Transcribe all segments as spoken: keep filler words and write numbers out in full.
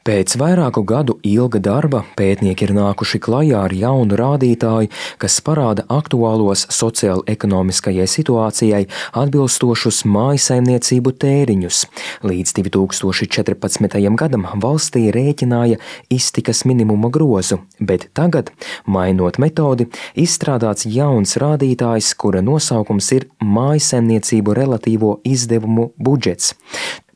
Pēc vairāku gadu ilga darba pētnieki ir nākuši klajā ar jaunu rādītāju, kas parāda aktuālos sociāli-ekonomiskajai situācijai atbilstošus mājsaimniecību tēriņus. Līdz divi tūkstoši četrpadsmitajam gadam valstī rēķināja iztikas minimuma grozu, bet tagad, mainot metodi, izstrādāts jauns rādītājs, kura nosaukums ir mājsaimniecību relatīvo izdevumu budžets.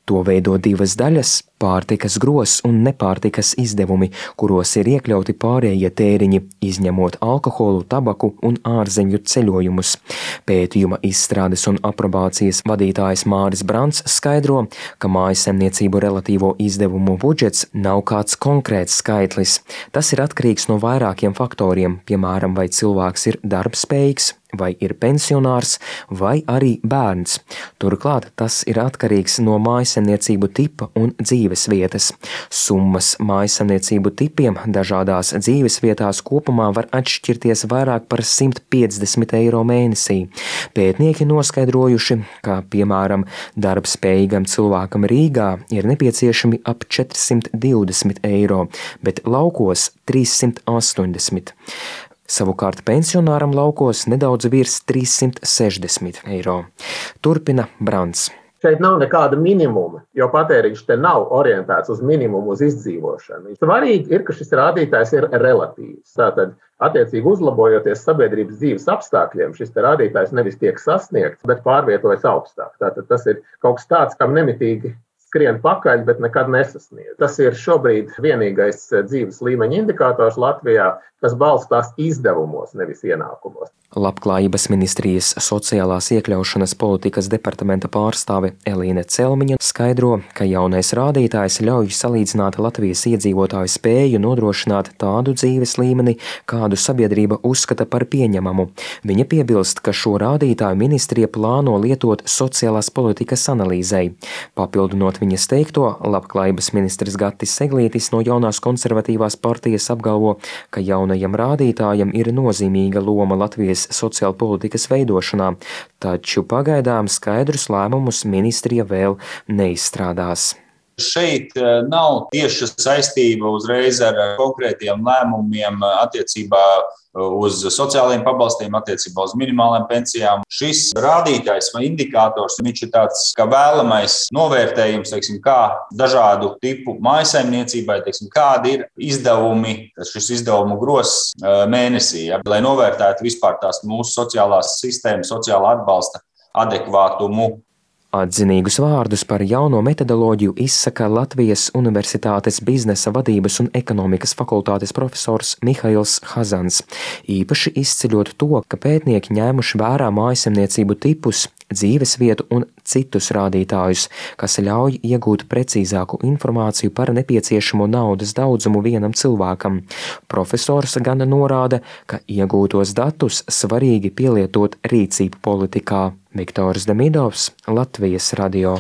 To veido divas daļas – pārtikas grozs un nepārtikas izdevumi, kuros ir iekļauti pārējie tēriņi, izņemot alkoholu, tabaku un ārzemju ceļojumus. Pētījuma izstrādes un aprobācijas vadītājs Māris Brants skaidro, ka mājsaimniecību relatīvo izdevumu budžets nav kāds konkrēts skaitlis. Tas ir atkarīgs no vairākiem faktoriem, piemēram, vai cilvēks ir darbspējīgs, vai ir pensionārs, vai arī bērns. Turklāt tas ir atkarīgs no mājsaimniecību tipa un dzīves vietas. Summas mājsaimniecību tipiem dažādās dzīves vietās kopumā var atšķirties vairāk par simt piecdesmit eiro mēnesī. Pētnieki noskaidrojuši, ka, piemēram, darbspējīgam cilvēkam Rīgā ir nepieciešami ap četrsimt divdesmit eiro, bet laukos trīssimt astoņdesmit. Savukārt pensionāram laukos nedaudz virs trīssimt sešdesmit eiro. Turpina Brants. Šeit nav nekāda minimuma, jo patēriņš te nav orientēts uz minimumu, uz izdzīvošanu. Svarīgi ir, ka šis rādītājs ir relatīvs. Tātad, attiecīgi uzlabojoties sabiedrības dzīves apstākļiem, šis te rādītājs nevis tiek sasniegts, bet pārvietojas augstāk. Tātad tas ir kaut kas tāds, kam nemitīgi skrien pakaļ, bet nekad nesasniedz. Tas ir šobrīd vienīgais dzīves līmeņa indikators Latvijā, kas balstās izdevumos, nevis ienākumos. Labklājības ministrijas sociālās iekļaušanas politikas departamenta pārstāve Elīne Celmiņa skaidro, ka jaunais rādītājs ļauj salīdzināt Latvijas iedzīvotāju spēju nodrošināt tādu dzīves līmeni, kādu sabiedrība uzskata par pieņemamu. Viņa piebilst, ka šo rādītāju ministrija plāno lietot sociālās politikas analīzei. Papildinot viņas teikto, Labklājības ministrs Gatis Seglītis no jaunās konservatīvās partijas apgalvo, ka jaunajam rādītājam ir nozīmīga loma Latvijas sociāla politikas veidošanā, taču pagaidām skaidrus lēmumus ministrija vēl neizstrādās. Šeit nav tieša saistība uzreiz ar konkrētiem lēmumiem attiecībā uz sociālajiem pabalstiem, attiecībā uz minimālajām pensijām. Šis rādītājs vai indikators, viņš ir tāds kā vēlamais novērtējums, teiksim, kā dažādu tipu mājsaimniecībai, teiksim, kādi ir izdevumi, šis izdevumu grozs mēnesī, ja, lai novērtētu vispār tās mūsu sociālās sistēmas, sociālā atbalsta adekvātumu. Atzinīgus vārdus par jauno metodoloģiju izsaka Latvijas Universitātes biznesa vadības un ekonomikas fakultātes profesors Mihails Hazans, īpaši izceļot to, ka pētnieki ņēmuši vērā mājsaimniecību tipus, dzīves vietu un citus rādītājus, kas ļauj iegūt precīzāku informāciju par nepieciešamo naudas daudzumu vienam cilvēkam. Profesors gan norāda, ka iegūtos datus svarīgi pielietot rīcību politikā. Viktors Demidovs, Latvijas radio.